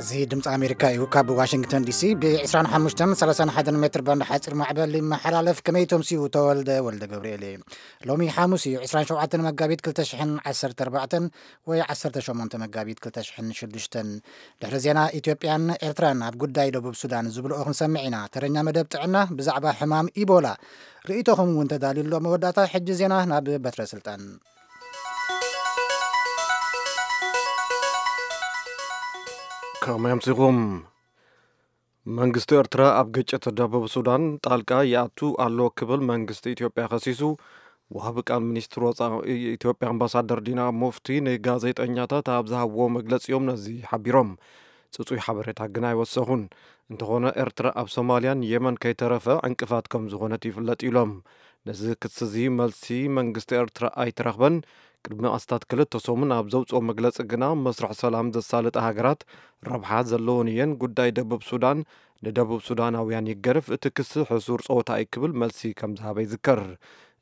እዚ ድምፂ ኣሜሪካ እዩ። ካብ ዋሽንግተን ዲሲ ብ ዕስራን ሓሙሽተን ሰላሳን ሓደን ሜትር ባንድ ሓፂር ማዕበል ይመሓላለፍ። ከመይ ተምስዩ? ተወልደ ወልደ ገብርኤል እየ። ሎሚ ሓሙስ እዩ፣ ዕስራን ሸውዓተን መጋቢት ክልተ ሽሕን ዓሰርተ ኣርባዕተን ወይ ዓሰርተ ሸሞንተ መጋቢት ክልተ ሽሕን ሽዱሽተን። ድሕሪ ዜና ኢትዮጵያን ኤርትራን ኣብ ጉዳይ ደቡብ ሱዳን ዝብልኦ ክንሰምዕ ኢና። ተረኛ መደብ ጥዕና ብዛዕባ ሕማም ኢቦላ ርእይቶኹም እውን ተዳልዩ ኣሎ። መወዳእታ ሕጂ ዜና ናብ በትረ ስልጣን። ከመይ ኣምሲኹም? መንግስቲ ኤርትራ ኣብ ግጭት ደቡብ ሱዳን ጣልቃ ይኣቱ ኣሎ ክብል መንግስቲ ኢትዮጵያ ከሲሱ። ወሃቢ ቃል ሚኒስትር ወጻኢ ኢትዮጵያ ኣምባሳደር ዲና ሙፍቲ ንጋዜጠኛታት ኣብ ዝሃብዎ መግለጺ እዮም ነዚ ሓቢሮም። ጽጹይ ሓበሬታ ግን ኣይወሰኹን። እንተኾነ ኤርትራ ኣብ ሶማልያን የመን ከይተረፈ ዕንቅፋት ከም ዝኾነት ይፍለጥ ኢሎም። ነዚ ክሲ እዚ መልሲ መንግስቲ ኤርትራ ኣይተረኽበን። ቅድሚ ኣስታት ክልተ ሰሙን ኣብ ዘውፅኦ መግለፂ ግና መስርሕ ሰላም ዘሳልጣ ሃገራት ረብሓ ዘለወን እየን፣ ጉዳይ ደቡብ ሱዳን ንደቡብ ሱዳናውያን ይገርፍ፣ እቲ ክሲ ሕሱር ፀወታ እዩ ክብል መልሲ ከም ዝሃበ ይዝከር።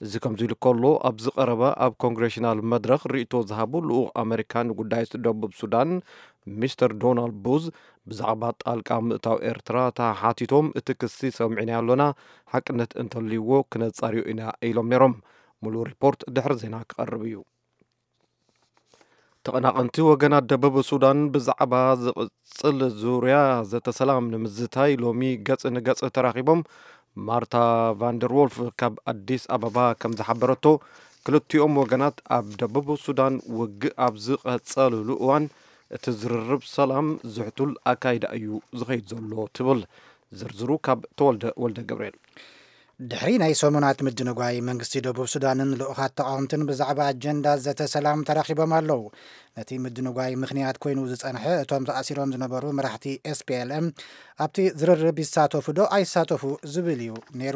እዚ ከምዚ ኢሉ ከሎ፣ ኣብዚ ቀረባ ኣብ ኮንግሬሽናል መድረኽ ርእይቶ ዝሃቡ ልኡኽ ኣመሪካ ንጉዳይ ደቡብ ሱዳን ሚስተር ዶናልድ ቡዝ ብዛዕባ ጣልቃ ምእታው ኤርትራ ተሓቲቶም፣ እቲ ክሲ ሰሚዕናዮ ኣሎና፣ ሓቅነት እንተልይዎ ክነጻርዮ ኢና ኢሎም ነይሮም። ሙሉእ ሪፖርት ድሕሪ ዜና ክቐርብ እዩ። ተቐናቐንቲ ወገናት ደቡብ ሱዳን ብዛዕባ ዝቕጽል ዙርያ ዘተ ሰላም ንምዝታይ ሎሚ ገጽ ንገጽ ተራኺቦም። ማርታ ቫንደር ዎልፍ ካብ ኣዲስ ኣበባ ከም ዝሓበረቶ፣ ክልቲኦም ወገናት ኣብ ደቡብ ሱዳን ውግእ ኣብ ዝቐጸልሉ እዋን እቲ ዝርርብ ሰላም ዝሕቱል ኣካይዳ እዩ ዝኸይድ ዘሎ ትብል። ዝርዝሩ ካብ ተወልደ ወልደ ገብርኤል። ድሕሪ ናይ ሰሙናት ምድንጓይ፣ መንግስቲ ደቡብ ሱዳንን ልኡኻት ተቓወምትን ብዛዕባ ኣጀንዳ ዘተ ሰላም ተራኺቦም ኣለዉ። ነቲ ምድንጓይ ምኽንያት ኮይኑ ዝጸንሐ፣ እቶም ተኣሲሮም ዝነበሩ መራሕቲ ኤስፒኤልኤም ኣብቲ ዝርርብ ይሳተፉ ዶ ኣይሳተፉ ዝብል እዩ ነይሩ።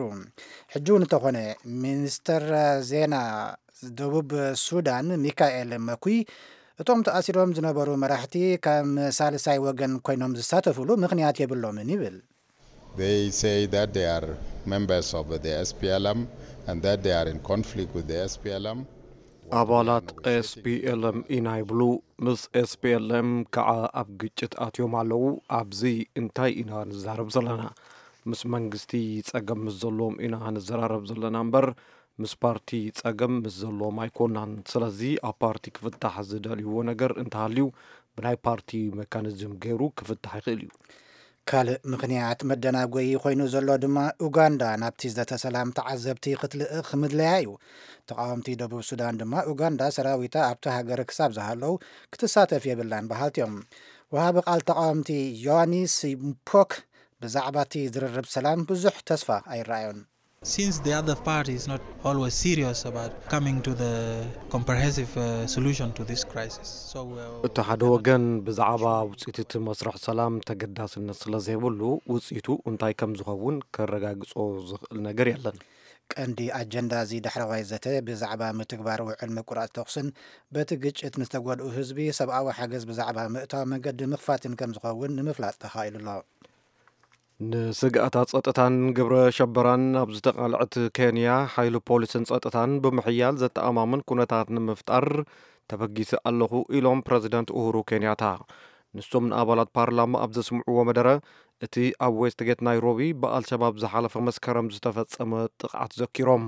ሕጂ እውን እንተኾነ፣ ሚኒስተር ዜና ደቡብ ሱዳን ሚካኤል መኩይ፣ እቶም ተኣሲሮም ዝነበሩ መራሕቲ ከም ሳልሳይ ወገን ኮይኖም ዝሳተፉሉ ምኽንያት የብሎምን ይብል። They say that they are members of the S P L M and that they are in conflict with the S P L M. ኣባላት ኤስፒኤልኤም ኢና ይብሉ። ምስ ኤስፒኤልኤም ከዓ ኣብ ግጭት ኣትዮም ኣለዉ። ኣብዚ እንታይ ኢና ንዛረብ ዘለና? ምስ መንግስቲ ጸገም ምስ ዘለዎም ኢና ንዘራረብ ዘለና እምበር፣ ምስ ፓርቲ ጸገም ምስ ዘለዎም ኣይኮናን። ስለዚ ኣብ ፓርቲ ክፍታሕ ዝደልይዎ ነገር እንተሃልዩ፣ ብናይ ፓርቲ መካኒዝም ገይሩ ክፍታሕ ይኽእል እዩ። ካልእ ምኽንያት መደናጎዪ ኮይኑ ዘሎ ድማ፣ ኡጋንዳ ናብቲ ዘተ ሰላም ተዓዘብቲ ክትልእኽ ምድለያ እዩ። ተቓወምቲ ደቡብ ሱዳን ድማ፣ ኡጋንዳ ሰራዊታ ኣብቲ ሃገር ክሳብ ዝሃለዉ ክትሳተፍ የብላን በሃልቲ እዮም። ወሃቢ ቃል ተቓወምቲ ዮሃንስ ምፖክ ብዛዕባ እቲ ዝርርብ ሰላም ብዙሕ ተስፋ ኣይረኣዮን። Since the other party is not always serious about coming to the comprehensive, uh, solution to this crisis. So, uh, እቲ ሓደ ወገን ብዛዕባ ውጽኢት እቲ መስርሕ ሰላም ተገዳስነት ስለ ዘይብሉ፣ ውጽኢቱ እንታይ ከም ዝኸውን ከረጋግጾ ዝኽእል ነገር የለን። ቀንዲ ኣጀንዳ እዚ ዳሕረዋይ ዘተ ብዛዕባ ምትግባር ውዕል ምቁራጽ ተኹስን በቲ ግጭት ንዝተጎድኡ ህዝቢ ሰብኣዊ ሓገዝ ብዛዕባ ምእታው መገዲ ምኽፋትን ከም ዝኸውን ንምፍላጥ ተኻኢሉ ኣሎ። ንስግኣታት ጸጥታን ግብረ ሸበራን ኣብ ዝተቓልዐት ኬንያ፣ ሓይሊ ፖሊስን ጸጥታን ብምሕያል ዘተኣማምን ኩነታት ንምፍጣር ተበጊሰ ኣለኹ ኢሎም ፕረዚደንት ኡሁሩ ኬንያታ። ንሶም ንኣባላት ፓርላማ ኣብ ዘስምዕዎ መደረ፣ እቲ ኣብ ዌስትጌት ናይሮቢ ብኣልሸባብ ዝሓለፈ መስከረም ዝተፈጸመ ጥቕዓት ዘኪሮም፣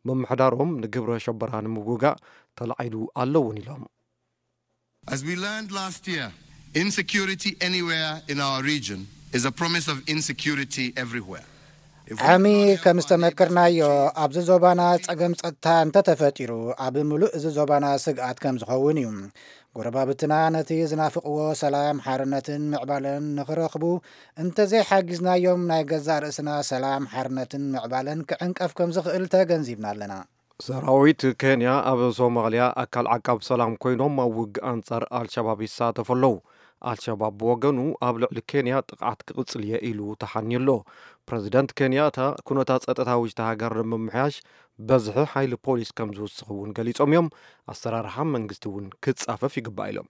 ምምሕዳሮም ንግብረ ሸበራ ንምውጋእ ተላዒሉ ኣሎ እውን ኢሎም። As we learned last year, insecurity anywhere in our region is a promise of insecurity everywhere. ዓሚ ከም ዝተመክርናዮ፣ ኣብዚ ዞባና ጸገም ጸጥታ እንተተፈጢሩ፣ ኣብ ምሉእ እዚ ዞባና ስግኣት ከም ዝኸውን እዩ። ጎረባብትና ነቲ ዝናፍቕዎ ሰላም፣ ሓርነትን ምዕባለን ንኽረኽቡ እንተዘይሓጊዝናዮም፣ ናይ ገዛእ ርእስና ሰላም፣ ሓርነትን ምዕባለን ክዕንቀፍ ከም ዝኽእል ተገንዚብና ኣለና። ሰራዊት ኬንያ ኣብ ሶማልያ ኣካል ዓቃብ ሰላም ኮይኖም ኣብ ውግእ ኣንጻር ኣልሸባብ ይሳተፉ ኣለዉ። ኣልሸባብ ብወገኑ ኣብ ልዕሊ ኬንያ ጥቕዓት ክቕጽል እየ ኢሉ ተሓንዩ ኣሎ። ፕረዚደንት ኬንያታ ኩነታት ጸጥታ ውሽጢ ሃገር ንምምሕያሽ በዝሒ ሓይሊ ፖሊስ ከም ዝውስኽ እውን ገሊጾም እዮም። ኣሰራርሓ መንግስቲ እውን ክጻፈፍ ይግባእ ኢሎም።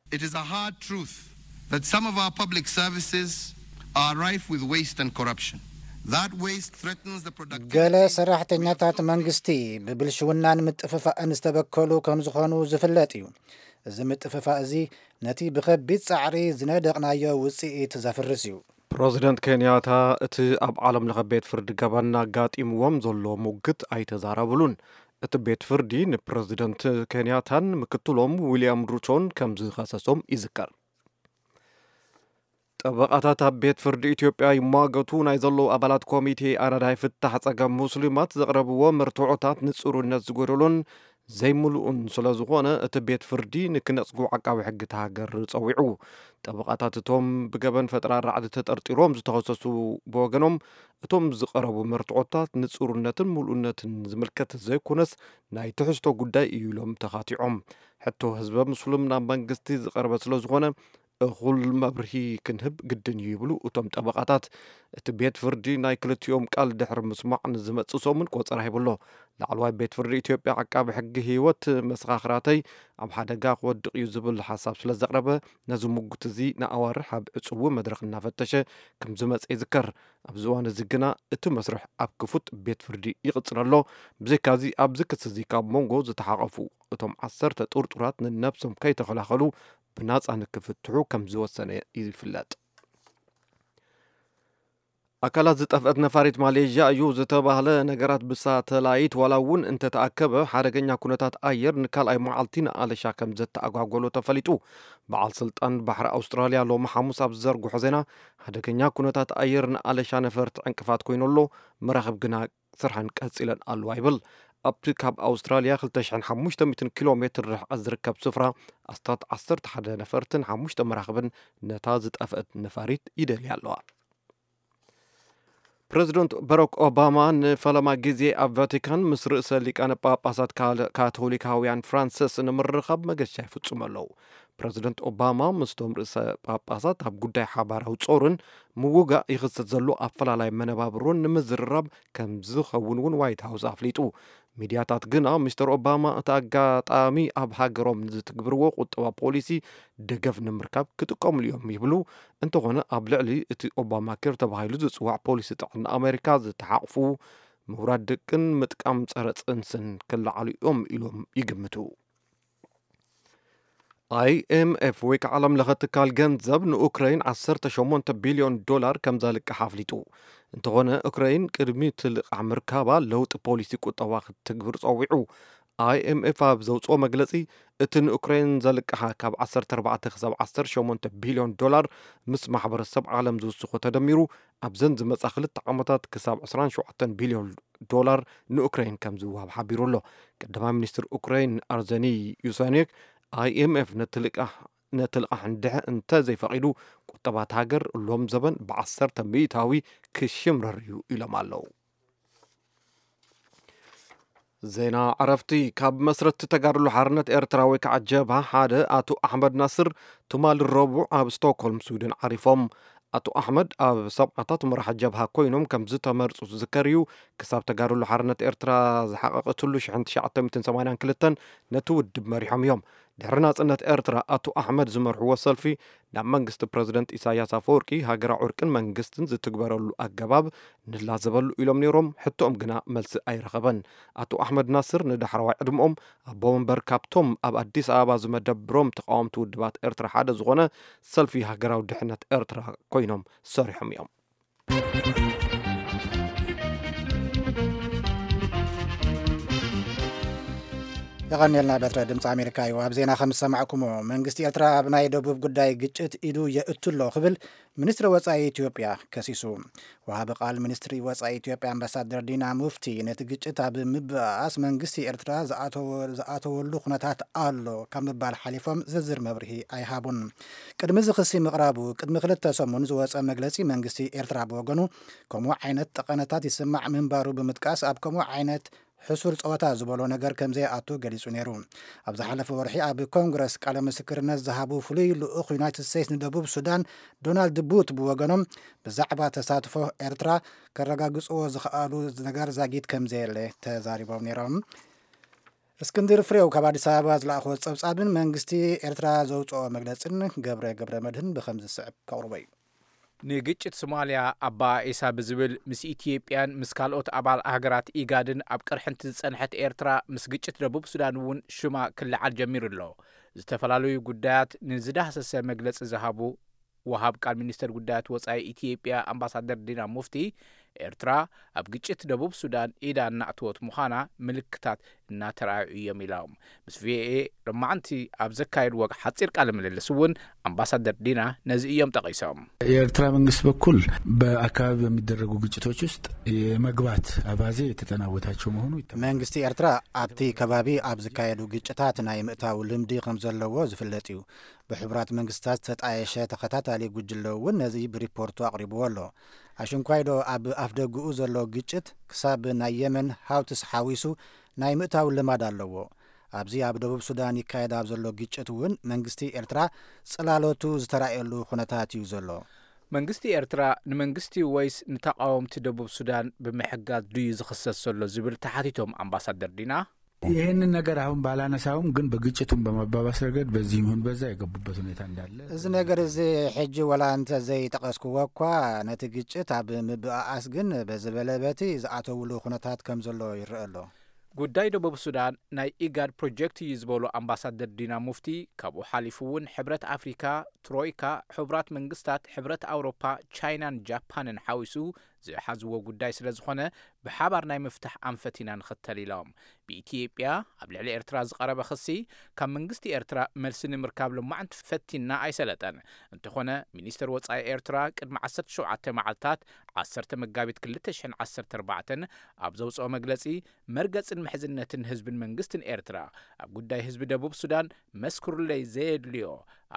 It is a hard truth that some of our public services are rife with waste and corruption. That waste threatens the productivity ገለ ሰራሕተኛታት መንግስቲ ብብልሽውናን ምጥፍፋእን ዝተበከሉ ከም ዝኾኑ ዝፍለጥ እዩ። እዚ ምጥፍፋእ እዚ ነቲ ብኸቢድ ጻዕሪ ዝነደቕናዮ ውጽኢት ዘፍርስ እዩ። ፕረዚደንት ኬንያታ እቲ ኣብ ዓለም ለኸ ቤት ፍርዲ ገበን ኣጋጢምዎም ዘሎ ሙግት ኣይተዛረብሉን። እቲ ቤት ፍርዲ ንፕረዚደንት ኬንያታን ምክትሎም ዊልያም ሩቶን ከም ዝኸሰሶም ይዝከር። ጠበቓታት ኣብ ቤት ፍርዲ ኢትዮጵያ ይሟገቱ ናይ ዘለዉ ኣባላት ኮሚቴ ኣረዳይ ፍታሕ ጸገም ሙስሊማት ዘቕረብዎ መርትዖታት ንጽሩነት ዝጎደሎን ዘይምሉእን ስለ ዝኾነ፣ እቲ ቤት ፍርዲ ንክነጽጉ ዓቃቢ ሕጊ እታ ሃገር ጸዊዑ። ጠበቓታት እቶም ብገበን ፈጠራ ራዕዲ ተጠርጢሮም ዝተኸሰሱ ብወገኖም፣ እቶም ዝቐረቡ መርትዖታት ንጽሩነትን ምሉእነትን ዝምልከት ዘይኮነስ፣ ናይ ትሕዝቶ ጉዳይ እዩ ኢሎም ተኻቲዖም። ሕቶ ህዝበ ሙስሊም ናብ መንግስቲ ዝቐረበ ስለ ዝኾነ፣ እኹል መብርሂ ክንህብ ግድን እዩ ይብሉ እቶም ጠበቓታት። እቲ ቤት ፍርዲ ናይ ክልቲኦም ቃል ድሕሪ ምስማዕ ንዝመጽእ ሰሙን ቆጸራ ሂቡ ኣሎ። ላዕለዋይ ቤት ፍርዲ ኢትዮጵያ ዓቃቢ ሕጊ ህይወት መሰኻኽራተይ ኣብ ሓደጋ ክወድቕ እዩ ዝብል ሓሳብ ስለ ዘቕረበ፣ ነዚ ምጉት እዚ ንኣዋርሕ ኣብ ዕጽዊ መድረኽ እናፈተሸ ከም ዝመጸ ይዝከር። ኣብዚ እዋን እዚ ግና እቲ መስርሕ ኣብ ክፉት ቤት ፍርዲ ይቕጽል ኣሎ። ብዘይካዚ ኣብዚ ክሲ እዚ ካብ መንጎ ዝተሓቐፉ እቶም ዓሰርተ ጥርጡራት ንነብሶም ከይተኸላኸሉ ብናጻ ንክፍትሑ ከም ዝወሰነ ይፍለጥ። ኣካላት ዝጠፍአት ነፋሪት ማሌዥያ እዩ ዝተባህለ ነገራት ብሳተላይት ዋላ እውን እንተተኣከበ ሓደገኛ ኩነታት ኣየር ንካልኣይ መዓልቲ ንኣለሻ ከም ዘተኣጓጎሎ ተፈሊጡ። በዓል ስልጣን ባሕሪ ኣውስትራልያ ሎሚ ሓሙስ ኣብ ዝዘርግሖ ዜና ሓደገኛ ኩነታት ኣየር ንኣለሻ ነፈርቲ ዕንቅፋት ኮይኑ ኣሎ፣ መራኽብ ግና ስርሐን ቀጺለን ኣለዋ ይብል። ኣብቲ ካብ ኣውስትራልያ ክልተ ሽሕን ሓሙሽተ ሚእትን ኪሎ ሜትር ርሕቀት ዝርከብ ስፍራ ኣስታት ዓሰርተ ሓደ ነፈርትን ሓሙሽተ መራኽብን ነታ ዝጠፍአት ነፋሪት ይደልያ ኣለዋ። ፕረዚደንት ባራክ ኦባማ ንፈለማ ግዜ ኣብ ቫቲካን ምስ ርእሰ ሊቃነ ጳጳሳት ካል-፣ ካቶሊካውያን ፍራንሲስ ንምርኻብ መገሻ ይፍጽሙ ኣለዉ። ፕረዚደንት ኦባማ ምስቶም ርእሰ ጳጳሳት ኣብ ጉዳይ ሓባራዊ ጾርን ምውጋእ ይኽሰት ዘሎ ኣፈላላይ መነባብሮን ንምዝርራብ ከም ዝኸውን እውን ዋይት ሃውስ ኣፍሊጡ። ሚድያታት ግና ሚስተር ኦባማ እቲ ኣጋጣሚ ኣብ ሃገሮም ንዝትግብርዎ ቁጠባ ፖሊሲ ደገፍ ንምርካብ ክጥቀምሉ እዮም ይብሉ። እንተኾነ ኣብ ልዕሊ እቲ ኦባማ ኬር ተባሂሉ ዝጽዋዕ ፖሊሲ ጥዕና ኣሜሪካ ዝተሓቕፉ ምውራድ ደቅን ምጥቃም ጸረ ጽንስን ክለዓሉ እዮም ኢሎም ይግምቱ። ኣይ ኤም ኤፍ ወይ ከዓ ዓለም ለኸ ትካል ገንዘብ ንኡክረይን ዓሰርተ ሸሞንተ ቢልዮን ዶላር ከም ዘልቅሕ ኣፍሊጡ። እንተኾነ ኡክረይን ቅድሚ እቲ ልቓሕ ምርካባ ለውጢ ፖሊሲ ቁጠባ ክትትግብር ጸዊዑ። ኣይ ኤም ኤፍ ኣብ ዘውፅኦ መግለፂ፣ እቲ ንኡክረይን ዘልቅሓ ካብ ዓሰርተ ኣርባዕተ ክሳብ ዓሰርተ ሸሞንተ ቢልዮን ዶላር ምስ ማሕበረሰብ ዓለም ዝውስኾ ተደሚሩ ኣብዘን ዝመፃ ክልተ ዓመታት ክሳብ ዕስራን ሸውዓተን ቢልዮን ዶላር ንኡክረይን ከም ዝወሃብ ሓቢሩ ኣሎ። ቀዳማይ ሚኒስትር ኡክረይን ኣርዘኒ ዩሳኔክ፣ ኣይ ኤም ኤፍ ነቲ ልቃሕ ነቲ ልቓሕ እንድሕ እንተ ዘይፈቒዱ፣ ቁጠባት ሃገር ሎም ዘበን ብዓሰርተ ሚእታዊ ክሽምረር እዩ ኢሎም ኣለዉ። ዜና ዕረፍቲ። ካብ መስረትቲ ተጋድሎ ሓርነት ኤርትራ ወይ ከዓ ጀብሃ ሓደ ኣቶ ኣሕመድ ናስር ትማሊ ረቡዕ ኣብ ስቶክሆልም ስዊድን ዓሪፎም። ኣቶ ኣሕመድ ኣብ ሰብዓታት መራሒ ጀብሃ ኮይኖም ከም ዝተመርጹ ዝዝከር እዩ። ክሳብ ተጋድሎ ሓርነት ኤርትራ ዝሓቐቐትሉ ሽሕን ትሽዓተ ሚእትን ሰማንያን ክልተን ነቲ ውድብ መሪሖም እዮም። ድሕሪ ናጽነት ኤርትራ ኣቶ ኣሕመድ ዝመርሕዎ ሰልፊ ናብ መንግስቲ ፕረዚደንት ኢሳያስ ኣፈወርቂ ሃገራዊ ዕርቅን መንግስትን ዝትግበረሉ ኣገባብ ንላዘበሉ ኢሎም ነይሮም። ሕቶኦም ግና መልሲ ኣይረኸበን። ኣቶ ኣሕመድ ናስር ንዳሕረዋይ ዕድመኦም ኣቦ መንበር ካብቶም ኣብ ኣዲስ ኣበባ ዝመደብሮም ተቃወምቲ ውድባት ኤርትራ ሓደ ዝኾነ ሰልፊ ሃገራዊ ድሕነት ኤርትራ ኮይኖም ሰሪሖም እዮም። የቐንየልና። በትረ ድምፂ ኣሜሪካ እዩ። ኣብ ዜና ከም ዝሰማዕኩሞ፣ መንግስቲ ኤርትራ ኣብ ናይ ደቡብ ጉዳይ ግጭት ኢዱ የእቱ ኣሎ ክብል ሚኒስትሪ ወፃኢ ኢትዮጵያ ከሲሱ። ወሃቢ ቃል ሚኒስትሪ ወፃኢ ኢትዮጵያ ኣምባሳደር ዲና ሙፍቲ፣ ነቲ ግጭት ኣብ ምብኣስ መንግስቲ ኤርትራ ዝኣተወ-፣ ዝኣተወሉ ኩነታት ኣሎ ካብ ምባል ሓሊፎም ዝርዝር መብርሂ ኣይሃቡን። ቅድሚ እዚ ክሲ ምቕራቡ ቅድሚ ክልተ ሰሙን ዝወፀ መግለፂ መንግስቲ ኤርትራ ብወገኑ፣ ከምኡ ዓይነት ጠቐነታት ይስማዕ ምንባሩ ብምጥቃስ፣ ኣብ ከምኡ ዓይነት ሕሱር ጸወታ ዝበሎ ነገር ከም ዘይኣቱ ገሊጹ ነይሩ። ኣብ ዝሓለፈ ወርሒ ኣብ ኮንግረስ ቃለ ምስክርነት ዝሃቡ ፍሉይ ልኡኽ ዩናይትድ ስቴትስ ንደቡብ ሱዳን ዶናልድ ቡት ብወገኖም፣ ብዛዕባ ተሳትፎ ኤርትራ ከረጋግጽዎ ዝኸኣሉ ነገር ዛጊት ከም ዘየለ ተዛሪቦም ነይሮም። እስክንድር ፍሬው ካብ ኣዲስ ኣበባ ዝለኣኽዎ ጸብጻብን መንግስቲ ኤርትራ ዘውጽኦ መግለጽን ገብረ ገብረ መድህን ብኸም ዝስዕብ ከቕርቦ እዩ። ንግጭት ሶማልያ ኣባኢሳ ብዝብል ምስ ኢትዮጵያን ምስ ካልኦት ኣባል ሃገራት ኢጋድን ኣብ ቅርሕንቲ ዝጸንሐት ኤርትራ፣ ምስ ግጭት ደቡብ ሱዳን እውን ሽማ ክለዓል ጀሚሩ ኣሎ። ዝተፈላለዩ ጉዳያት ንዝዳህሰሰ መግለጺ ዝሃቡ ወሃብ ቃል ሚኒስተር ጉዳያት ወጻኢ ኢትዮጵያ ኣምባሳደር ዲና ሙፍቲ፣ ኤርትራ ኣብ ግጭት ደቡብ ሱዳን ኢዳ እናእተወት ምዃና ምልክታት እናተራእዩ እዮም ኢሎም። ምስ ቪኦኤ ሎማዓንቲ ኣብ ዘካየድዎ ሓጺር ቃለ ምልልስ እውን ኣምባሳደር ዲና ነዚ እዮም ጠቒሶም። የኤርትራ መንግስት በኩል በአካባቢ በሚደረጉ ግጭቶች ውስጥ የመግባት አባዜ የተጠናወታቸው መሆኑ ይታወቃል። መንግስቲ ኤርትራ ኣብቲ ከባቢ ኣብ ዝካየዱ ግጭታት ናይ ምእታው ልምዲ ከም ዘለዎ ዝፍለጥ እዩ። ብሕቡራት መንግስታት ዝተጣየሸ ተኸታታሊ ጉጅለ እውን ነዚ ብሪፖርቱ ኣቕሪብዎ ኣሎ። ኣሽንኳይዶ ኣብ ኣፍደግኡ ዘሎ ግጭት ክሳብ ናይ የመን ሃውትስ ሓዊሱ ናይ ምእታው ልማድ ኣለዎ። ኣብዚ ኣብ ደቡብ ሱዳን ይካየድ ኣብ ዘሎ ግጭት እውን መንግስቲ ኤርትራ ጽላሎቱ ዝተራእየሉ ኩነታት እዩ ዘሎ። መንግስቲ ኤርትራ ንመንግስቲ ወይስ ንተቃወምቲ ደቡብ ሱዳን ብምሕጋዝ ድዩ ዝኽሰስ ዘሎ ዝብል ተሓቲቶም ኣምባሳደር ዲና፣ ይህንን ነገር አሁን ባላነሳውም ግን በግጭቱም በማባባስ ረገድ በዚህ ይሁን በዛ የገቡበት ሁኔታ እንዳለ እዚ ነገር እዚ ሕጂ ወላ እንተ ዘይጠቀስክዎ እኳ ነቲ ግጭት ኣብ ምብኣኣስ ግን በዝበለ በቲ ዝኣተውሉ ኩነታት ከም ዘሎ ይረአ ኣሎ። ጉዳይ ደቡብ ሱዳን ናይ ኢጋድ ፕሮጀክት እዩ ዝበሉ ኣምባሳደር ዲና ሙፍቲ፣ ካብኡ ሓሊፉ እውን ሕብረት ኣፍሪካ፣ ትሮይካ፣ ሕቡራት መንግስታት፣ ሕብረት ኣውሮፓ፣ ቻይናን ጃፓንን ሓዊሱ ዝሓዝዎ ጉዳይ ስለ ዝኾነ ብሓባር ናይ ምፍታሕ ኣንፈት ኢና ንኽተል ኢሎም። ብኢትዮጵያ ኣብ ልዕሊ ኤርትራ ዝቐረበ ክሲ ካብ መንግስቲ ኤርትራ መልሲ ንምርካብ ሎማዕንቲ ፈቲና ኣይሰለጠን። እንተኾነ ሚኒስተር ወጻኢ ኤርትራ ቅድሚ ዓሰርተ ሸውዓተ መዓልታት ዓሰርተ መጋቢት ክልተ ሽሕን ዓሰርተ ኣርባዕተን ኣብ ዘውጽኦ መግለጺ መርገጽን ምሕዝነትን ህዝብን መንግስትን ኤርትራ ኣብ ጉዳይ ህዝቢ ደቡብ ሱዳን መስክሩለይ ዘየድልዮ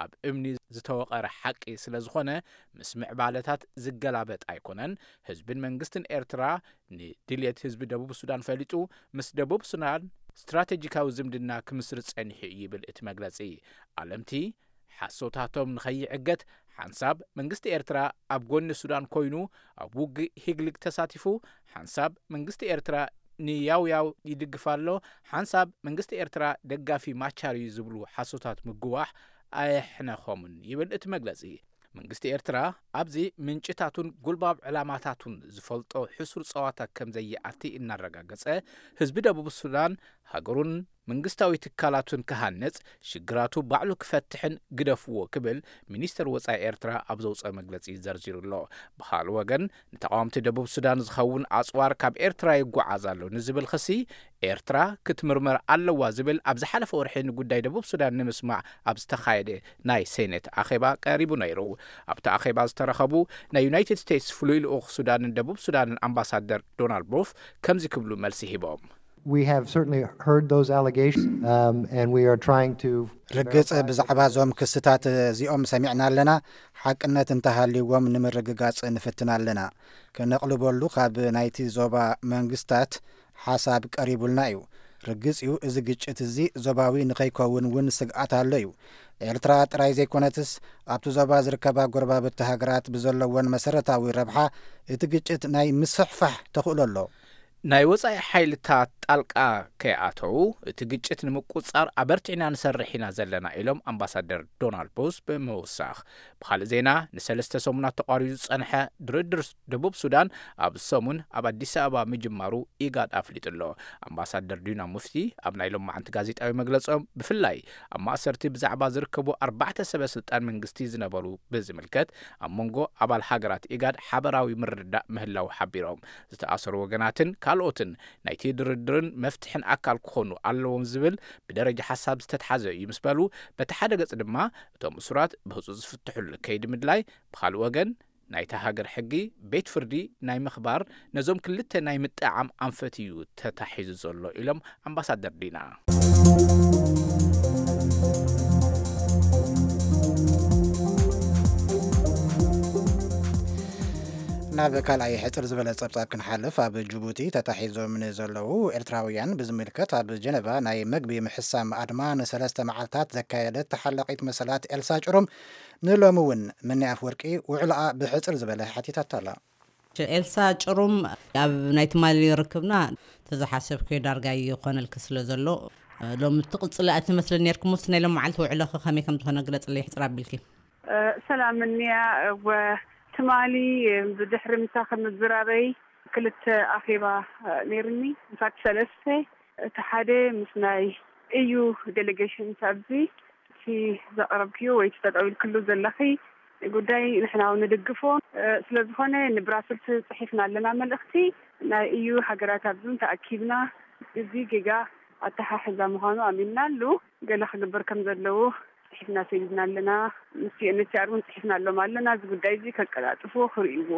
ኣብ እምኒ ዝተወቐረ ሓቂ ስለ ዝኾነ ምስ ምዕባለታት ዝገላበጥ ኣይኮነን። ህዝብን መንግስትን ኤርትራ ንድልየት ህዝቢ ደቡብ ሱዳን ፈሊጡ ምስ ደቡብ ሱዳን ስትራቴጂካዊ ዝምድና ክምስርት ጸኒሑ እዩ ይብል እቲ መግለጺ። ኣለምቲ ሓሶታቶም ንኸይዕገት ሓንሳብ መንግስቲ ኤርትራ ኣብ ጎኒ ሱዳን ኮይኑ ኣብ ውግእ ሂግሊግ ተሳቲፉ፣ ሓንሳብ መንግስቲ ኤርትራ ንያውያው ይድግፍ ኣሎ፣ ሓንሳብ መንግስቲ ኤርትራ ደጋፊ ማቻር እዩ ዝብሉ ሓሶታት ምግዋሕ ኣየሕነኾምን ይብል እቲ መግለጺ። መንግስቲ ኤርትራ ኣብዚ ምንጭታቱን ጉልባብ ዕላማታቱን ዝፈልጦ ሕሱር ጸዋታ ከም ዘይኣቲ እናረጋገጸ፣ ህዝቢ ደቡብ ሱዳን ሃገሩን መንግስታዊ ትካላቱን ክሃንጽ፣ ሽግራቱ ባዕሉ ክፈትሕን ግደፍዎ ክብል ሚኒስተር ወጻኢ ኤርትራ ኣብ ዘውጸኦ መግለጺ ዘርዚሩ ኣሎ። ብኻልእ ወገን፣ ንተቓወምቲ ደቡብ ሱዳን ዝኸውን ኣጽዋር ካብ ኤርትራ ይጓዓዝ ኣሎ ንዝብል ክሲ፣ ኤርትራ ክትምርመር ኣለዋ ዝብል ኣብ ዝሓለፈ ወርሒ ንጉዳይ ደቡብ ሱዳን ንምስማዕ ኣብ ዝተኻየደ ናይ ሴኔት ኣኼባ ቀሪቡ ነይሩ። ኣብቲ ኣኼባ ዝተረኸቡ ናይ ዩናይትድ ስቴትስ ፍሉይ ልኡኽ ሱዳንን ደቡብ ሱዳንን ኣምባሳደር ዶናልድ ቦፍ ከምዚ ክብሉ መልሲ ሂቦም። We have certainly heard those allegations, um, and we are trying to ርግጽ ብዛዕባ እዞም ክስታት እዚኦም ሰሚዕና ኣለና። ሓቅነት እንተሃልይዎም ንምርግጋጽ ንፍትን ኣለና። ከነቕልበሉ ካብ ናይቲ ዞባ መንግስታት ሓሳብ ቀሪቡልና እዩ። ርግጽ እዩ፣ እዚ ግጭት እዚ ዞባዊ ንኸይከውን እውን ስግኣት ኣሎ እዩ። ኤርትራ ጥራይ ዘይኮነትስ፣ ኣብቲ ዞባ ዝርከባ ጎረባብቲ ሃገራት ብዘለወን መሰረታዊ ረብሓ እቲ ግጭት ናይ ምስፍሕፋሕ ተኽእሎ ኣሎ። ናይ ወጻኢ ሓይልታት ጣልቃ ከይኣተው እቲ ግጭት ንምቁጻር ኣበርቲዕና ንሰርሕ ኢና ዘለና ኢሎም ኣምባሳደር ዶናልድ ቦስ ብምውሳኽ። ብኻልእ ዜና፣ ንሰለስተ ሰሙናት ተቋሪጹ ዝጸንሐ ድርድር ደቡብ ሱዳን ኣብ ሰሙን ኣብ ኣዲስ ኣበባ ምጅማሩ ኢጋድ ኣፍሊጡ ኣሎ። ኣምባሳደር ዲና ሙፍቲ ኣብ ናይ ሎማዓንቲ ጋዜጣዊ መግለጾም ብፍላይ ኣብ ማእሰርቲ ብዛዕባ ዝርከቡ ኣርባዕተ ሰበ ስልጣን መንግስቲ ዝነበሩ ብዝምልከት ኣብ መንጎ ኣባል ሃገራት ኢጋድ ሓበራዊ ምርድዳእ ምህላው ሓቢሮም። ዝተኣሰሩ ወገናትን ካልኦትን ናይቲ ድርድርን መፍትሕን ኣካል ክኾኑ ኣለዎም ዝብል ብደረጃ ሓሳብ ዝተትሓዘ እዩ ምስ በሉ፣ በቲ ሓደ ገጽ ድማ እቶም እሱራት ብህጹጽ ዝፍትሑሉ ከይዲ ምድላይ፣ ብኻልእ ወገን ናይታ ሃገር ሕጊ ቤት ፍርዲ ናይ ምኽባር ነዞም ክልተ ናይ ምጥዓም ኣንፈት እዩ ተታሒዙ ዘሎ ኢሎም ኣምባሳደር ዲና። ናብ ካልኣይ ሕጽር ዝበለ ጸብጻብ ክንሓልፍ፣ ኣብ ጅቡቲ ተታሒዞም ንዘለዉ ኤርትራውያን ብዝምልከት ኣብ ጀነቫ ናይ መግቢ ምሕሳም ኣድማ ንሰለስተ መዓልታት ዘካየደት ተሓላቒት መሰላት ኤልሳ ጭሩም ንሎሚ እውን ምኒ ኣፍወርቂ ውዕሎኣ ብሕጽር ዝበለ ሓቲታታ ኣላ። ኤልሳ ጭሩም ኣብ ናይ ትማሊ ርክብና ተዝሓሰብክዮ ዳርጋ ይኾነልኪ ስለ ዘሎ፣ ሎሚ ትቕጽሊ ኣትመስለ ነርኪ። ሞስ ናይ ሎም መዓልቲ ውዕሎኺ ከመይ ከም ዝኾነ ግለጽለይ ሕጽር ኣቢልኪ። ሰላም እንያ፣ እወ፣ ትማሊ ብድሕሪ ምሳኺ ምዝራበይ ክልተ ኣኼባ ነይርኒ፣ ምሳት ሰለስተ። እቲ ሓደ ምስ ናይ እዩ ዴሌጌሽን ኣብዚ እቲ ዘቕረብክዮ ወይ እቲ ጠጠው ኢልክሉ ዘለኺ ጉዳይ ንሕና እውን ንድግፎ። ስለ ዝኾነ ንብራስልስ ጽሒፍና ኣለና መልእኽቲ። ናይ እዩ ሃገራት ኣብዚ እውን ተኣኪብና እዚ ጌጋ ኣተሓሕዛ ምዃኑ ኣሚንና ኣሉ። ገለ ክግበር ከም ዘለዎ ጽሒፍና ሰዲድና ኣለና። ምስ ዩ ኤን ኤች ሲ ኣር እውን ጽሒፍና ኣሎም ኣለና። እዚ ጉዳይ እዚ ከቀላጥፉ ክርእይዎ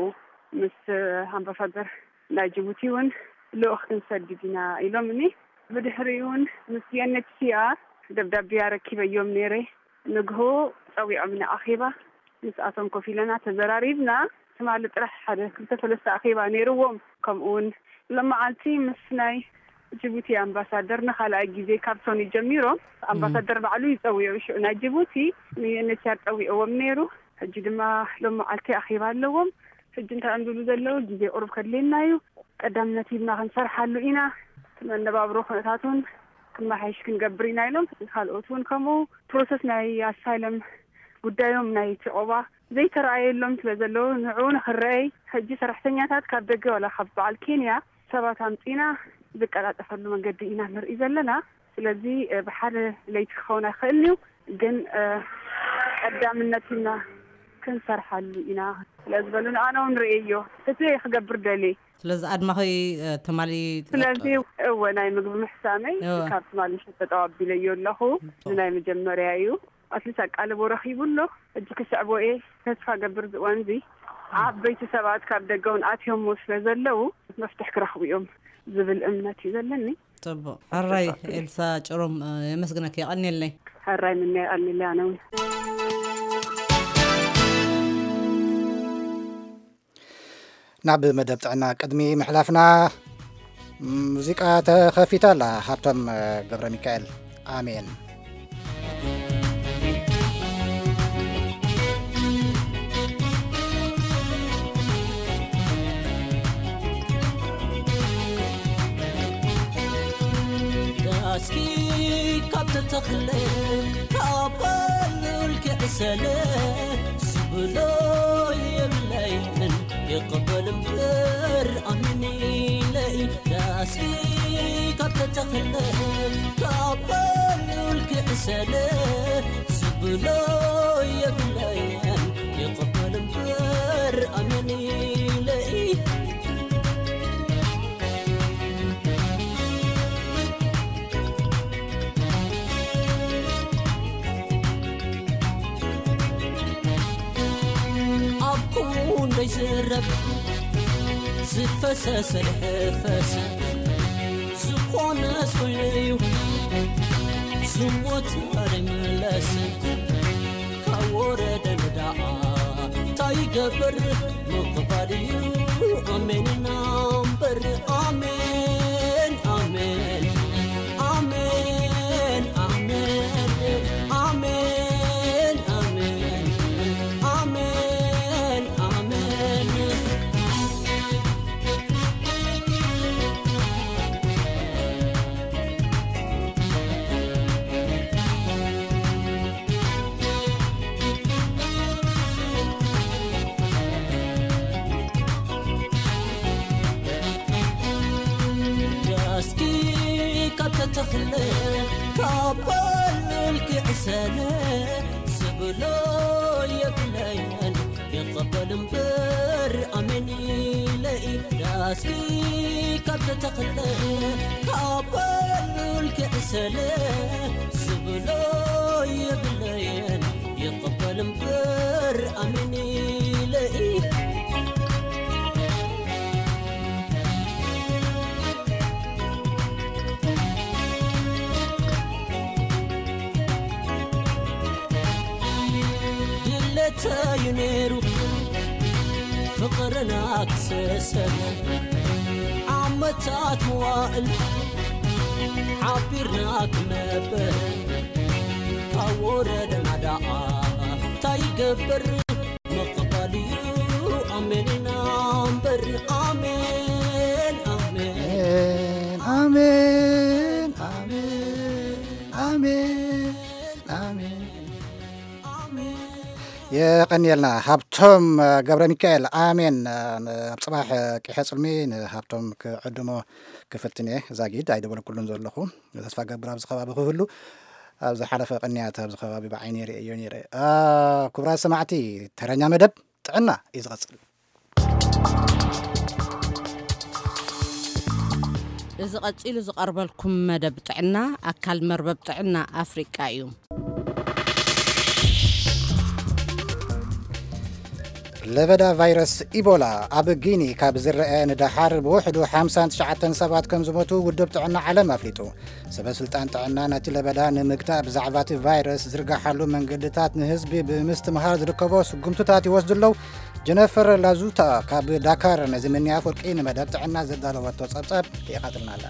ምስ ኣምባሳደር ናይ ጅቡቲ እውን ልኡኽ ክንሰድድ ኢና ኢሎምኒ። ብድሕሪኡ እውን ምስ ዩ ኤን ኤች ሲ ኣር ደብዳቤ ኣረኪበዮም ነይረ። ንግሆ ጸዊዖምኒ ኣኼባ ምስኣቶም ኮፍ ኢለና ተዘራሪብና። ትማሊ ጥራሕ ሓደ ክልተ ሰለስተ ኣኼባ ነይርዎም። ከምኡ እውን ሎመዓልቲ ምስ ናይ ጅቡቲ ኣምባሳደር ንኻልኣይ ግዜ ካብ ሶኒ ጀሚሮም ኣምባሳደር ባዕሉ ይጸውዑ። ሽዑ ናይ ጅቡቲ ን ዩ ኤን ኤች ሲ ኣር ጸዊዕዎም ነይሩ። ሕጂ ድማ ሎመዓልቲ ኣኼባ ኣለዎም። ሕጂ እንታይ እዮም ዝብሉ ዘለዉ? ግዜ ቁሩብ ከድልየና እዩ፣ ቀዳምነት ሂብና ክንሰርሓሉ ኢና። እቲ መነባብሮ ኩነታት እውን ክመሓየሽ ክንገብር ኢና ኢሎም። ካልኦት እውን ከምኡ ፕሮሰስ ናይ ኣሳይለም ጉዳዮም ናይ እቲ ዑቕባ ዘይተረኣየሎም ስለ ዘለዉ ንዕኡ ንኽረኣይ ሕጂ ሰራሕተኛታት ካብ ደገ ዋላ ካብ በዓል ኬንያ ሰባት ኣምጺና ዝቀላጠፈሉ መንገዲ ኢና ንርኢ ዘለና። ስለዚ እ፣ ብሓደ ለይቲ ክኸውን ኣይኽእልን እዩ፣ ግን እ፣ ቀዳምነት ኢና ክንሰርሓሉ ኢና ስለ ዝበሉን ኣነ እውን ርእየዮ እቲ ክገብር ደልየ። ስለዚ ኣድማኺ እ፣ ትማሊ ስለዚ እወ ናይ ምግቢ ምሕሳመይ እወ። ካብ ትማሊ ምሸት ተጠዋቢለዮ ኣለኹ። እዚ ናይ መጀመርያ እዩ። ኣትሊስት ኣቃልቦ ረኺቡ ኣሎ። ሕጂ ክስዕቦ እየ ተስፋ ገብር። እዚ እዋን እዚ ዓበይቲ ሰባት ካብ ደገ እውን ኣትዮሞ ስለ ዘለዉ መፍትሕ ክረኽቡ እዮም ዝብል እምነት እዩ ዘለኒ። ጽቡቕ። ሕራይ ኤልሳ ጭሮም፣ እ፣ የመስግነኪ፣ የቐንየለይ። ሕራይ ምነ የቐንየለይ ኣነ እውን። ናብ መደብ ጥዕና ቅድሚ ምሕላፍና፣ ሙዚቃ ተኸፊታ ኣላ። ሃብቶም ገብረ ሚካኤል፣ ኣሜን። ዳስኪ ካብ ተተኽለ፣ ካብ በሉል ክዕሰለ፣ ዝብሎ የብለይን፣ ይቕበል እምበር ኣሚን ኢለ። ዳስኪ ካብ ተተኽለ፣ ካብ በሉል ክዕሰለ፣ ዝብሎ የብለይን፣ ይቕበል እምበር ኣሚን ኢለ። ኣብ ክንደይ ዝረብ ዝፈሰሰ ፈሰ፣ ዝኾነስ ኮይኑ እዩ ዝሞት ኣይምለስ። ካብ ወረደ ንዳኣ እንታይ ይገብር ምቕባል እዩ። ኣሜን ኢና እምበር፣ ኣሜን፣ ኣሜን፣ ኣሜን፣ ኣሜን፣ ኣሜን፣ ኣሜን፣ ኣሜን፣ ኣሜን። ዳስኪ ካብ ተተኽለ፣ ካብ በሉል ክዕሰለ፣ ዝብሎ የብለይን፣ ይቐበል እምበር ኣሜን ኢለ። ዳስኪ ካብ ተተኽለ፣ ካብ በሉል ክዕሰለ፣ ዝብሎ የብለይን፣ ይቕበል እምበር ኣሜን ኢለ። ድሌተዩ ነይሩ ፍቕርና ክሰሰን፣ ዓመታት መዋእል ሓቢርና ክነበር፣ ካብ ወረደና ደኣ እንታይ ይገብር? ምቕባል እዩ ኣሜን ኢና እምበር፣ ኣሜን፣ ኣሜን። ኣሜን፣ ኣሜን፣ ኣሜን፣ ኣሜን፣ ኣሜን፣ ኣሜን። የቐንየልና ሃብቶ ቶም ገብረ ሚካኤል፣ ኣሜን። ኣብ ጽባሕ ቂሐ ጽልሚ ንሃብቶም ክዕድሞ ክፍትን እየ። ዛጊድ ኣይደበልኩሉን ዘለኹ። ተስፋ ገብር ኣብዚ ከባቢ ክህሉ፣ ኣብ ዝሓለፈ ቅንያት ኣብዚ ከባቢ ብዓይኒ ርእየዮ ነይረ። ክቡራት ሰማዕቲ፣ ተረኛ መደብ ጥዕና እዩ ዝቐጽል። እዚ ቀጺሉ ዝቐርበልኩም መደብ ጥዕና፣ ኣካል መርበብ ጥዕና ኣፍሪቃ እዩ። ለበዳ ቫይረስ ኢቦላ ኣብ ጊኒ ካብ ዝረአ ንደሓር ብውሕዱ ሓምሳን ትሽዓተን ሰባት ከም ዝሞቱ ውድብ ጥዕና ዓለም ኣፍሊጡ። ሰበ ስልጣን ጥዕና ነቲ ለበዳ ንምግታእ ብዛዕባ እቲ ቫይረስ ዝርጋሓሉ መንገድታት ንህዝቢ ብምስትምሃር ዝርከቦ ስጉምትታት ይወስዱ ኣለዉ። ጀነፈር ላዙታ ካብ ዳካር ነዚ ምንያ ፍርቂ ንመደብ ጥዕና ዘዳለወቶ ጸብጻብ የቓጥልና ኣላ።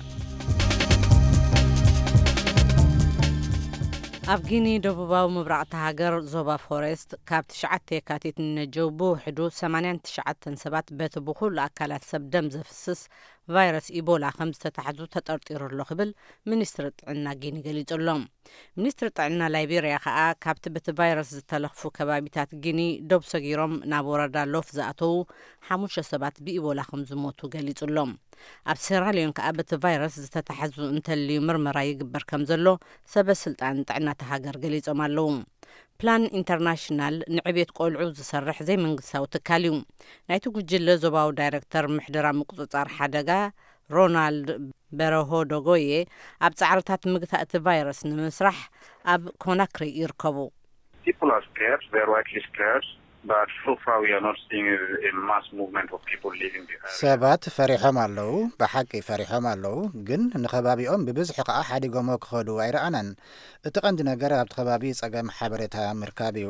ኣብ ጊኒ ደቡባዊ ምብራቕ እታ ሃገር ዞባ ፎሬስት ካብ ትሽዓተ የካቲት ንነጀው ብውሕዱ ሰማንያን ትሽዓተን ሰባት በቲ ብኹሉ ኣካላት ሰብ ደም ዘፍስስ ቫይረስ ኢቦላ ከም ዝተታሕዙ ተጠርጢሩ ኣሎ ክብል ሚኒስትሪ ጥዕና ጊኒ ገሊጹ ኣሎ። ሚኒስትሪ ጥዕና ላይቤርያ ከኣ ካብቲ በቲ ቫይረስ ዝተለኽፉ ከባቢታት ጊኒ ዶብ ሰጊሮም ናብ ወረዳ ሎፍ ዝኣተዉ ሓሙሽተ ሰባት ብኢቦላ ከም ዝሞቱ ገሊጹ ኣሎ። ኣብ ሴራልዮን ከኣ በቲ ቫይረስ ዝተታሕዙ እንተልዩ ምርመራ ይግበር ከም ዘሎ ሰበ ስልጣን ጥዕና እታ ሃገር ገሊጾም ኣለዉ። ፕላን ኢንተርናሽናል ንዕቤት ቆልዑ ዝሰርሕ ዘይመንግስታዊ ትካል እዩ። ናይቲ ጉጅለ ዞባዊ ዳይረክተር ምሕደራ ምቁጽጻር ሓደጋ ሮናልድ በረሆ ዶጎዬ ኣብ ጻዕርታት ምግታእ እቲ ቫይረስ ንምስራሕ ኣብ ኮናክሪ ይርከቡ። People are scared, they are rightly scared, but so far we are not seeing a mass movement of people leaving the area. ሰባት ፈሪሖም ኣለዉ። ብሓቂ ፈሪሖም ኣለዉ፣ ግን ንኸባቢኦም ብብዝሒ ከኣ ሓዲጎሞ ክኸዱ ኣይረኣናን። እቲ ቀንዲ ነገር ኣብቲ ከባቢ ጸገም ሓበሬታ ምርካብ እዩ።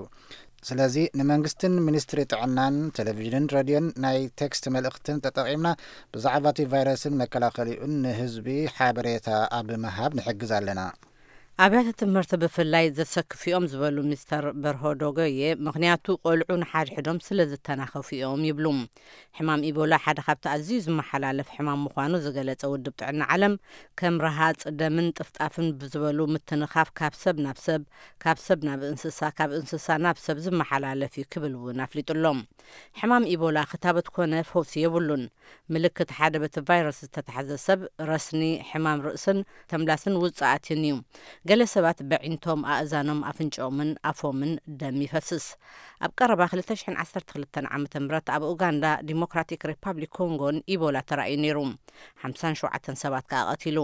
ስለዚ ንመንግስትን ሚኒስትሪ ጥዕናን ቴሌቪዥንን ሬድዮን ናይ ቴክስት መልእኽትን ተጠቒምና ብዛዕባ እቲ ቫይረስን መከላኸሊኡን ንህዝቢ ሓበሬታ ኣብ ምሃብ ንሕግዝ ኣለና። ኣብያተ ትምህርቲ ብፍላይ ዘሰክፉ እዮም ዝበሉ ሚስተር በርሆ ዶጎዬ፣ ምኽንያቱ ቆልዑ ንሓድሕዶም ስለ ዝተናኸፉ እዮም ይብሉ። ሕማም ኢቦላ ሓደ ካብቲ ኣዝዩ ዝመሓላለፍ ሕማም ምዃኑ ዝገለጸ ውድብ ጥዕና ዓለም፣ ከም ረሃጽ ደምን ጥፍጣፍን ብዝበሉ ምትንኻፍ ካብ ሰብ ናብ ሰብ፣ ካብ ሰብ ናብ እንስሳ፣ ካብ እንስሳ ናብ ሰብ ዝመሓላለፍ እዩ ክብል እውን ኣፍሊጡ ኣሎ። ሕማም ኢቦላ ክታበት ኮነ ፈውሲ የብሉን። ምልክት ሓደ በቲ ቫይረስ ዝተታሕዘ ሰብ ረስኒ፣ ሕማም ርእስን ተምላስን ውጽኣትን እዩ። ገለ ሰባት በዒንቶም፣ ኣእዛኖም፣ ኣፍንጫኦምን ኣፎምን ደም ይፈስስ። ኣብ ቀረባ ክልተ ሽሕን ዓሰርተ ክልተን ዓመተ ምህረት ኣብ ኡጋንዳ፣ ዲሞክራቲክ ሪፓብሊክ ኮንጎን ኢቦላ ተራእዩ ነይሩ። ሓምሳን ሸውዓተን ሰባት ከኣ ቀቲሉ።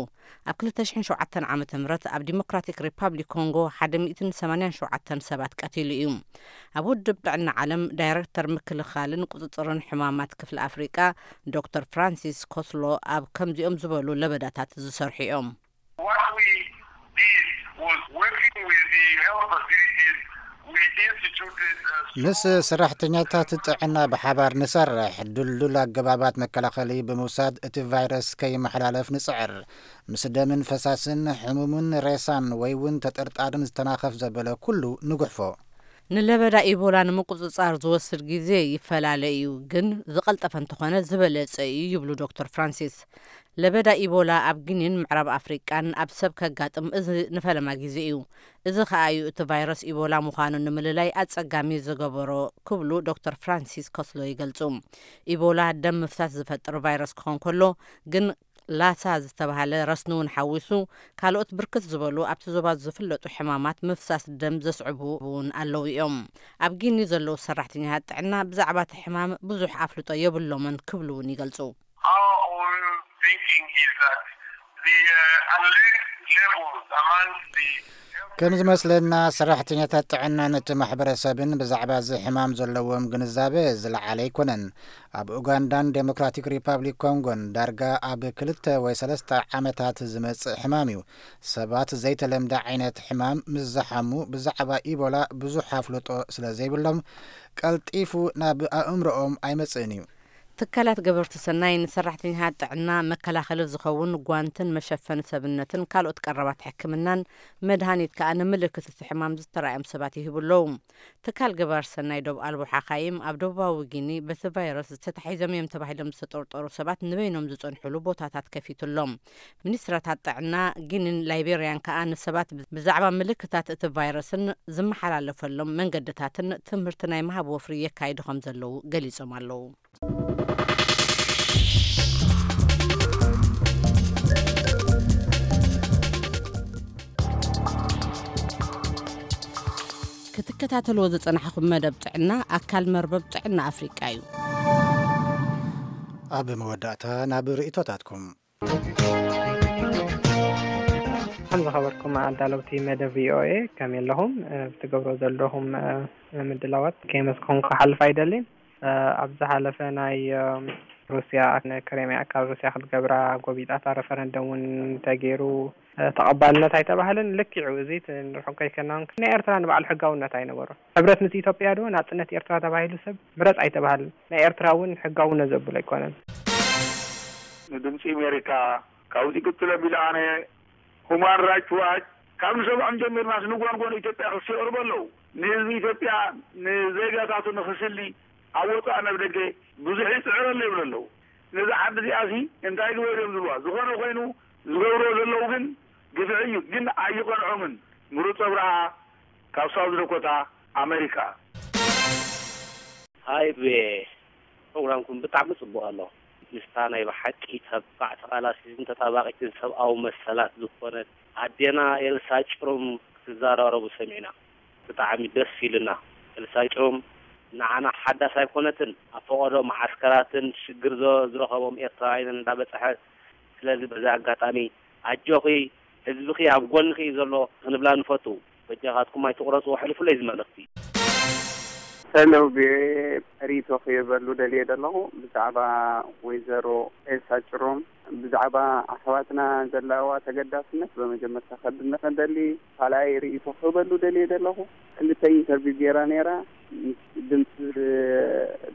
ኣብ ክልተ ሽሕን ሸውዓተን ዓመተ ምህረት ኣብ ዲሞክራቲክ ሪፓብሊክ ኮንጎ ሓደ ሚእትን ሰማንያን ሸውዓተን ሰባት ቀቲሉ እዩ። ኣብ ውድብ ጥዕና ዓለም ዳይረክተር ምክልኻልን ቁጽጽርን ሕማማት ክፍሊ ኣፍሪቃ ዶክተር ፍራንሲስ ኮስሎ ኣብ ከምዚኦም ዝበሉ ለበዳታት ዝሰርሑ እዮም። What we did was working with the health facilities, we instituted a ምስ ሰራሕተኛታት ጥዕና ብሓባር ንሰርሕ፣ ድልዱል ኣገባባት መከላኸሊ ብምውሳድ እቲ ቫይረስ ከይመሓላለፍ ንጽዕር። ምስ ደምን ፈሳስን፣ ሕሙምን ሬሳን ወይ እውን ተጠርጣርን ዝተናኸፍ ዘበለ ኩሉ ንጉሕፎ። ንለበዳ ኢቦላ ንምቁጽጻር ዝወስድ ግዜ ይፈላለ እዩ፣ ግን ዝቐልጠፈ እንተኾነ ዝበለጸ እዩ ይብሉ ዶክተር ፍራንሲስ። ለበዳ ኢቦላ ኣብ ጊኒን ምዕራብ ኣፍሪቃን ኣብ ሰብ ከጋጥም እዚ ንፈለማ ግዜ እዩ። እዚ ከኣ እዩ እቲ ቫይረስ ኢቦላ ምዃኑ ንምልላይ ኣጸጋሚ ዝገበሮ ክብሉ ዶክተር ፍራንሲስ ኮስሎ ይገልጹ። ኢቦላ ደም ምፍሳስ ዝፈጥር ቫይረስ ክኾን ከሎ ግን ላሳ ዝተባህለ ረስኒ እውን ሓዊሱ ካልኦት ብርክት ዝበሉ ኣብቲ ዞባ ዝፍለጡ ሕማማት ምፍሳስ ደም ዘስዕቡ እውን ኣለዉ እዮም። ኣብ ጊኒ ዘለዉ ሰራሕተኛታት ጥዕና ብዛዕባ እቲ ሕማም ብዙሕ ኣፍልጦ የብሎምን ክብሉ እውን ይገልጹ። Our own thinking is that the uh, alert levels amongst the ከም ዝመስለና ሰራሕተኛታት ጥዕናን እቲ ማሕበረሰብን ብዛዕባ እዚ ሕማም ዘለዎም ግንዛበ ዝለዓለ ኣይኮነን። ኣብ ኡጋንዳን ዴሞክራቲክ ሪፓብሊክ ኮንጎን ዳርጋ ኣብ ክልተ ወይ ሰለስተ ዓመታት ዝመጽእ ሕማም እዩ። ሰባት ዘይተለምደ ዓይነት ሕማም ምስ ዝሓሙ ብዛዕባ ኢቦላ ብዙሕ ኣፍልጦ ስለ ዘይብሎም ቀልጢፉ ናብ ኣእምሮኦም ኣይመጽእን እዩ። ትካላት ገበርቲ ሰናይ ንሰራሕተኛታት ጥዕና መከላኸሊ ዝኸውን ጓንትን መሸፈኒ ሰብነትን ካልኦት ቀረባት ሕክምናን መድሃኒት ከኣ ንምልክት እቲ ሕማም ዝተራእዮም ሰባት ይህቡ ኣለዉ። ትካል ገባር ሰናይ ዶብ ኣልቦ ሓኻይም ኣብ ደቡባዊ ጊኒ በቲ ቫይረስ ዝተታሒዞም እዮም ተባሂሎም ዝተጠርጠሩ ሰባት ንበይኖም ዝጸንሑሉ ቦታታት ከፊቱ ኣሎ። ሚኒስትራታት ጥዕና ጊኒን ላይቤርያን ከኣ ንሰባት ብዛዕባ ምልክታት እቲ ቫይረስን ዝመሓላለፈሎም መንገድታትን ትምህርቲ ናይ ምሃብ ወፍሪ የካይዱ ከም ዘለዉ ገሊጾም ኣለዉ። ክትከታተልዎ ዝጸናሕኹም መደብ ጥዕና ኣካል መርበብ ጥዕና ኣፍሪቃ እዩ። ኣብ መወዳእታ ናብ ርእይቶታትኩም። ከም ዝኸበርኩም ኣዳለውቲ መደብ ቪ ኦ ኤ፣ ከመይ ኣለኹም? እ፣ ብትገብሮ ዘለኹም፣ እ፣ ምድላዋት ከየመስገንኩ ክሓልፍ ኣይደልን። እ፣ ኣብ ዝሓለፈ ናይ፣ እ፣ ሩስያ ንክሬምያ ካብ ሩስያ ክትገብራ ጎቢጣታ፣ ረፈረንደም እውን ተገይሩ፣ እ፣ ተቐባልነት ኣይተባህለን። ልክዑ እዚ ት-፣ ንርሑቕ ከይከና እውን ናይ ኤርትራ ንባዕሉ ሕጋውነት ኣይነበሮን። ሕብረት ምስ ኢትዮጵያ ዶ ናጽነት ኤርትራ ተባሂሉ ሰብ ምረጽ ኣይተባህለን። ናይ ኤርትራ እውን ሕጋውነት ዘብሎ ኣይኮነን። ንድምፂ ኣሜሪካ ካብዚ ቅፅል ኣቢለ ኣነ ሁማን ራይትስ ዋች ካብ ንሰምዖም ጀሚርናስ ንጎንጎን ኢትዮጵያ ክስ የቕርቡ ኣለዉ። ንህዝቢ ኢትዮጵያ ንዜጋታቱ ንኽስሊ ኣብ ወፃእ ናብ ደገ ብዙሕ ይፅዕር ኣሎ ይብሉ ኣለዉ። ነዛ ዓዲ እዚኣሲ እንታይ ግበር እዮም ዝብልዋ? ዝኾነ ኮይኑ ዝገብርዎ ዘለዉ ግን ግፍዒ እዩ። ግን ኣይቐንዖምን። ምሩፅ ኣብርሃ ካብ ሳውዝ ዳኮታ ኣሜሪካ። ሃይ ቪ ኦኤ፣ ፕሮግራምኩም ብጣዕሚ ጽቡቕ ኣሎ። ምስታ ናይ ብሓቂ ተባዕ ተቓላሲትን ተጣባቒትን ሰብኣዊ መሰላት ዝኾነት ኣዴና ኤልሳ ጭሩም ክትዘራረቡ ሰሚዕና ብጣዕሚ ደስ ኢሉና። ኤልሳ ጭሩም ንዓና ሓዳስ ኣይኮነትን። ኣብ ፈቐዶ መዓስከራትን ሽግር ዝ-፣ ዝረኸቦም ኤርትራውያንን እንዳበጽሐት፣ ስለዚ በዚ ኣጋጣሚ ኣጆኺ ህዝብኺ ኣብ ጎንኺ እዩ ዘሎ ክንብላ ንፈቱ። በጃኻትኩም ኣይትቑረጽዎ፣ ኣሕልፉለይ እዚ መልእኽቲ። ሰላም ቪኦኤ፣ ሪኢቶ ክህበሉ ደልየ ዘለኹ ብዛዕባ ወይዘሮ ኤልሳ ጭሮም፣ ብዛዕባ ኣሕዋትና ዘለዋ ተገዳስነት በመጀመርታ ከድንቕ እደሊ። ካልኣይ ሪኢቶ ክህበሉ ደልየ ዘለኹ፣ ክልተ ኢንተርቪው ገይራ ነይራ፣ ምስ ድምፂ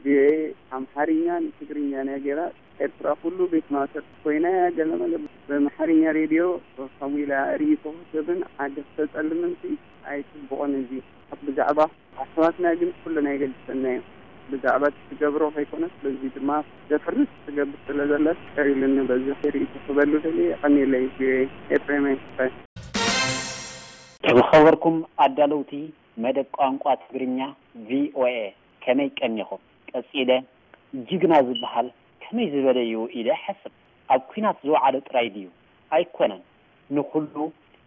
ቪኦኤ ኣምሓርኛን ትግርኛን እያ ገይራ። ኤርትራ ኩሉ ቤት ማእሰርቲ ኮይና እያ፣ ገለመለ ብኣምሓርኛ ሬድዮ ከምኡ ኢላ ሪኢቶ ክትህብን ዓዲ ክተፀልምንሲ ኣይፅቡቕን። እዚ ብዛዕባ ኣሕዋትና ግን ኩልና ይገልፀና እዩ። ብዛዕባ እቲ ትገብሮ ከይኮነስ በዚ ድማ ዘፍርስ ትገብር ስለ ዘላስ ቀሪሉኒ። በዚ ሪኢቶ ክህበሉ ደልየ። የቐንየለይ ቪኦኤ። ኤፍሬም ኣይስፋይ። ዝኸበርኩም ኣዳለውቲ መደብ ቋንቋ ትግርኛ ቪኦኤ፣ ከመይ ቀኒኹም? ቀጺለ ጅግና ዝበሃል ከመይ ዝበለ እዩ ኢለ እሓስብ። ኣብ ኲናት ዝወዓለ ጥራይ ድዩ? ኣይኮነን። ንኹሉ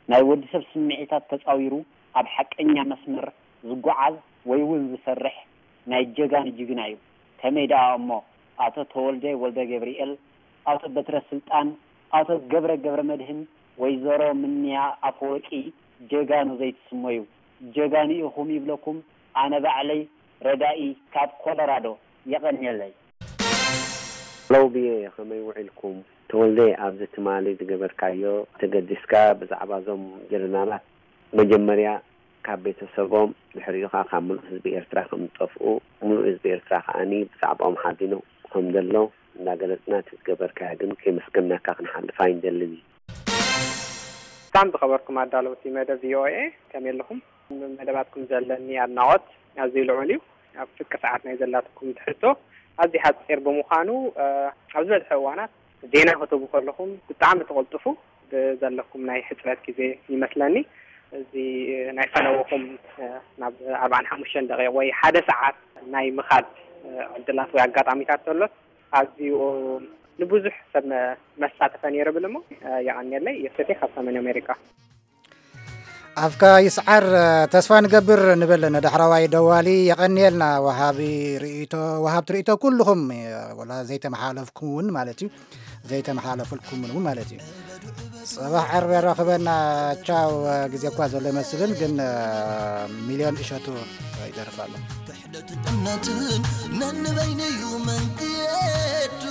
ናይ ወዲ ሰብ ስምዒታት ተጻዊሩ ኣብ ሓቀኛ መስመር ዝጓዓዝ ወይ እውን ዝሰርሕ ናይ ጀጋኑ ጅግና እዩ። ከመይ ደኣ እሞ ኣቶ ተወልደ ወልደገብርኤል፣ ኣቶ በትረ ስልጣን፣ ኣቶ ገብረ ገብረመድህን፣ ወይዘሮ ምንያ ኣፈወርቂ ጀጋኑ ዘይትስመዩ? ጀጋኑ ኢኹም ይብለኩም ኣነ ባዕለይ ረዳኢ ካብ ኮሎራዶ። የቐንየለይ። ሎው ብየ ከመይ ውዒልኩም? ተወልደ፣ ኣብዚ ትማሊ ዝገበርካዮ ተገዲስካ ብዛዕባ እዞም ጀነራላት መጀመርያ ካብ ቤተሰቦም ድሕሪኡ ከዓ ካብ ምሉእ ህዝቢ ኤርትራ ከም ዝጠፍኡ ምሉእ ህዝቢ ኤርትራ ከዓኒ ብዛዕባኦም ሓዚኑ ከም ዘሎ እናገለጽና እቲ ዝገበርካዮ ግን ከየመስገንናካ ክንሓልፍ ኣይንደልን። ሰላም ዝኸበርኩም ኣዳለውቲ መደብ ቪኦኤ፣ ከመይ ኣለኹም? መደባትኩም ዘለኒ ኣድናቖት ኣዝዩ ልዑል እዩ። ኣብ ፍርቂ ሰዓት ናይ ዘላትኩም ትሕዝቶ ኣዝዩ ሓጺር ብምዃኑ ኣብ ዝበዝሐ እዋናት ዜና ክትህቡ ከለኹም ብጣዕሚ ትቕልጥፉ። ብዘለኩም ናይ ሕጽረት ግዜ ይመስለኒ እዚ ናይ ፈነውኹም ናብ ኣርባዓን ሓሙሽተን ደቂቕ ወይ ሓደ ሰዓት ናይ ምኻድ ዕድላት ወይ ኣጋጣሚታት ተሎስ ኣዝዩ ንብዙሕ ሰብ መሳተፈ ነይሩ ብል እሞ የቐንየለይ። የሰቴ ካብ ሰሜን ኣሜሪካ። ኣፍካ ይስዓር። ተስፋ ንገብር ንብል ንዳሕረዋይ ደዋሊ። የቐንየልና ወሃቢ ርእይቶ፣ ወሃብቲ ርእይቶ ኩልኹም፣ ወላ ዘይተመሓለፍኩም እውን ማለት እዩ፣ ዘይተመሓለፍልኩም እውን ማለት እዩ። ጽባሕ ዓርቢ የራኽበና። ቻው። ግዜ እኳ ዘሎ ይመስልን ግን ሚልዮን እሸቱ ይደርፍ ኣሎ። ክሕደትን እምነትን ነንበይነዩ መንገዱ።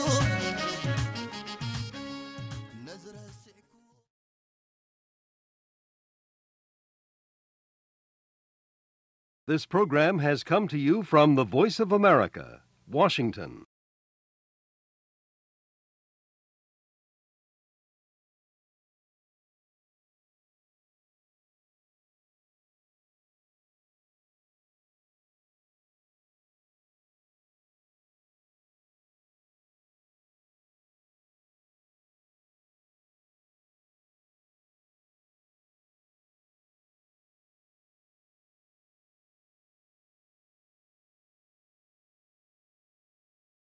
This program has come to you from the Voice of America, Washington.